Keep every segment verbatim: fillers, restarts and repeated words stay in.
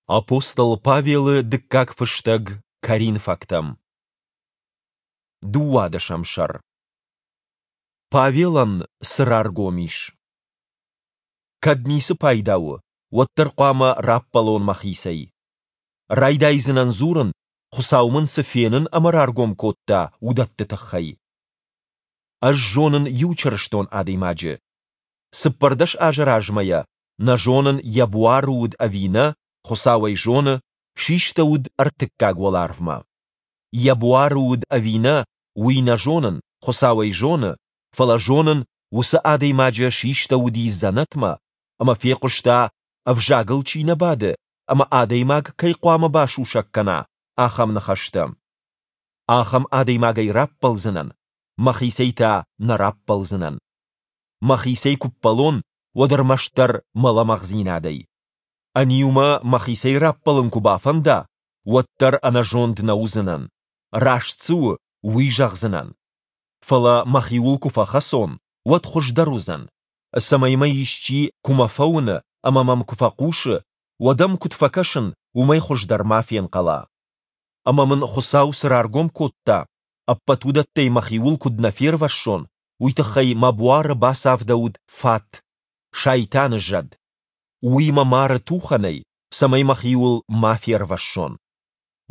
Апостол Павелы дыккаг фыстӕг Коринфӕгтӕм. Дыууадӕсӕм сӕр. Павелӕн цы раргом ис? Кӕд ницы пайда у, уӕддӕр хъуамӕ раппӕлон мӕхицӕй. Райдайдзынӕн дзурын, Хуыцау мын цы фенын ӕмӕ раргом кодта, уыдӕтты тыххӕй. Ӕз зонын иу чырыстон адӕймаджы. Цыппӕрдӕс азы размӕ йӕ, нӕ зонын, йӕ буары уыд ӕви нӕ, Хуыцау ӕй зоны, систӕуыд ӕртыккаг уӕларвмӕ. Йӕ буары уыд ӕви нӕ, уый нӕ зонын, Хуыцау ӕй зоны, фӕлӕ зонын, уыцы адӕймаджы систӕуыди дзӕнӕтмӕ, ӕмӕ фехъуыста, ӕвзагыл чи нӕ бады ӕмӕ адӕймаг кӕй хъуамӕ басусӕг кӕна, ахӕм ныхӕстӕ. Ахӕм адӕймагӕй раппӕлдзынӕн, мӕхицӕй та нӕ раппӕлдзынӕн. Мӕхицӕй куы ппӕлон, уӕд ӕрмӕстдӕр мӕ лӕмӕгъдзинадӕй. Ӕниу мӕ мӕхицӕй раппӕлын куы бафӕнда, уӕддӕр ӕнӕзонд нӕ уыдзынӕн, раст цы у, уый зӕгъдзынӕн. Фӕлӕ мӕхиуыл куы фӕхӕцон, уӕд хуыздӕр уыдзӕн, цӕмӕй мӕ исчи, куы мӕ фӕуыны ӕмӕ мӕм куы фӕхъусы, уӕд ӕм куыд фӕкӕсын, уымӕй хуыздӕр ма фенхъӕла. Ӕмӕ мын Хуыцау цы раргом кодта, ӕппӕт уыдӕттӕй мӕхиуыл куыд нӕ фервӕссон, уый тыххӕй мӕ буары бацавдӕуыд фат, сайтаны зӕд. Уый мӕ мары тухӕнӕй, цӕмӕй мӕхиуыл ма фервӕссон.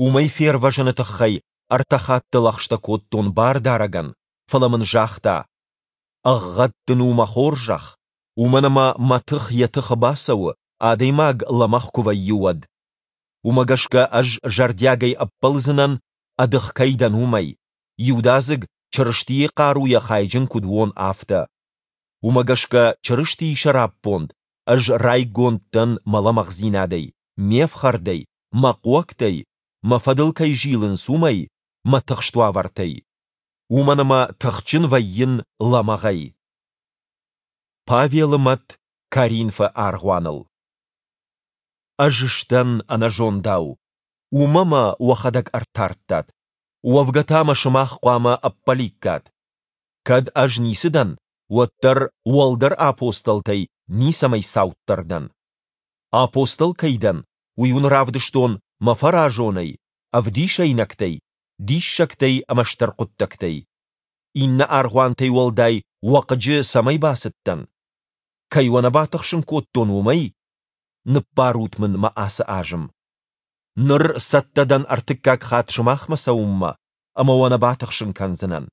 Уымӕй фервӕзыны тыххӕй ӕртӕ хатты лӕгъстӕ кодтон Бардарӕгӕн, фӕлӕ мын загъта: Ӕгъгъӕд дын у мӕ хорзӕх, уымӕн ӕмӕ мӕ тых йӕ тыхы бацӕуы, адӕймаг лӕмӕгъ куы вӕййы, уӕд. Уымӕ гӕсгӕ ӕз зӕрдиагӕй ӕппӕлдзынӕн, ӕдых кӕй дӕн, уымӕй, иудадзыг Чырыстийы хъаруйӕ хайджын куыд уон, афтӕ. Уымӕ гӕсгӕ Чырыстийы сӕраппонд ӕз райгонд дӕн мӕ лӕмӕгъдзинадӕй, ме фхӕрдӕй, мӕ хъуӕгтӕй, мӕ фӕдыл кӕй зилынц, уымӕй, мӕ тыхст уавӕртӕй. Уымӕн ӕмӕ тыхджын вӕййын лӕмӕгъӕй. Павелы мӕт Коринфы аргъуаныл. Ӕз сдӕн ӕнӕзондау, уымӕ мӕ уӕхӕдӕг ӕртардтат. Уӕвгӕ та мӕ сымах хъуамӕ ӕппӕликкат. Кӕд ӕз ницы дӕн, уӕддӕр уӕлдӕр апостолтӕй ницӕмӕй цауддӕр дӕн. Апостол кӕй дӕн, уый уын равдыстон мӕ фӕразонӕй, ӕвдисӕйнӕгтӕй, диссӕгтӕй ӕмӕ стыр хъуыддӕгтӕй. Иннӕ аргъуантӕй уӕлдай уӕ хъыджы цӕмӕй бацыдтӕн? Кӕй уӕ нӕ батыхсын кодтон, уымӕй? Ныббарут мын мӕ ацы азым. Ныр цӕттӕ дӕн ӕртыккаг хатт сымахмӕ цӕуынмӕ, ӕмӕ уӕ нӕ батыхсын кӕндзынӕн.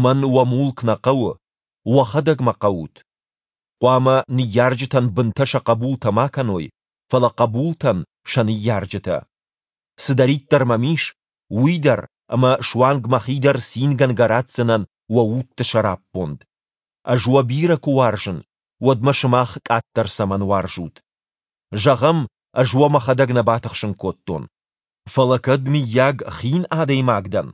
Мӕн уӕ мулк нӕ хъӕуы, уӕхӕдӕг мӕ хъӕут. Хъуамӕ ныййарджытӕн бынтӕ сӕ хъӕбултӕ ма кӕной, фӕлӕ хъӕбултӕн сӕ ныййарджытӕ. Цыдӕриддӕр мӕм ис, уый дӕр ӕмӕ суанг мӕхи дӕр цингӕнгӕ ратдзынӕн уӕ удты сӕраппонд. Ӕз уӕ бирӕ куы уарзын, уӕд мӕ сымах къаддӕр цӕмӕн уарзут? Зӕгъӕм, ӕз уӕ мӕхӕдӕг нӕ батыхсын кодтон. Фӕлӕ кӕд, мыййаг, хин адӕймаг дӕн,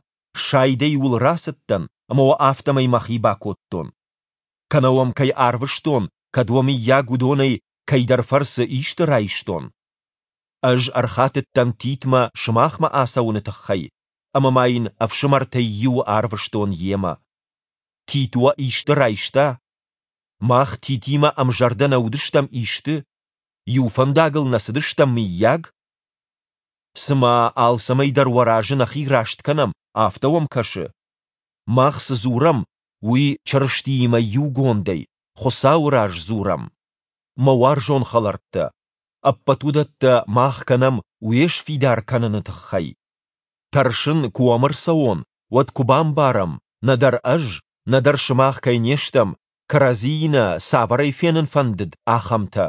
сайдӕй уыл рацыдтӕн ӕмӕ уӕ афтӕмӕй мӕхи бакодтон. Кӕнӕ уӕм кӕй арвыстон, кӕд уӕ, мыййаг, уыдонӕй кӕйдӕр фӕрцы исты райстон. Ӕз ӕрхатыдтӕн Титмӕ сымахмӕ ацӕуыны тыххӕй, ӕмӕ ма йын ӕфсымӕртӕй иуы арвыстон йемӕ. Тит уӕ исты райста? Мах Титимӕ ӕмзӕрдӕ нӕ уыдыстӕм исты? Иу фӕндагыл нӕ цыдыстӕм, мыййаг? Цыма алцӕмӕй дӕр уӕ разы нӕхи раст кӕнӕм, афтӕ уӕм кӕсы? Мах цы дзурӕм, уый Чырыстиимӕ иугондӕй, Хуыцауы раз дзурӕм. Мӕ уарзон хӕлӕрттӕ, ӕппӕт уыдӕттӕ мах кӕнӕм уе сфидар кӕныны тыххӕй. Тӕрсын, куы уӕм ӕрцӕуон, уӕд куы бамбарӕм, нӕдӕр ӕз, нӕдӕр сымах кӕй не стӕм, кӕрӕдзийы нӕ цавӕрӕй фенын фӕндыд, ахӕмтӕ.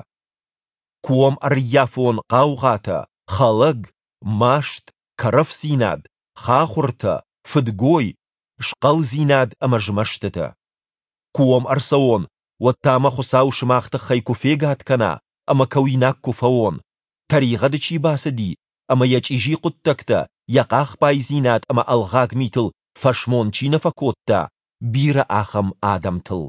Куы уӕм ӕрыййафон хъаугъатӕ, хӕлӕг, маст, кӕрӕфдзинад, хахуыртӕ, фыдгой, схъӕлдзинад ӕмӕ змӕстытӕ. Куы уӕм ӕрцӕуон, уӕд та мӕ Хуыцау сымах тыххӕй куы фегад кӕна ӕмӕ кӕуинаг куы фӕуон, тӕригъӕды чи бацыди ӕмӕ йӕ чъизи хъуыддӕгтӕ, йӕ хъахбайдзинад ӕмӕ ӕлгъаг митыл фӕсмон чи нӕ фӕкодта, бирӕ ахӕм адӕмтыл.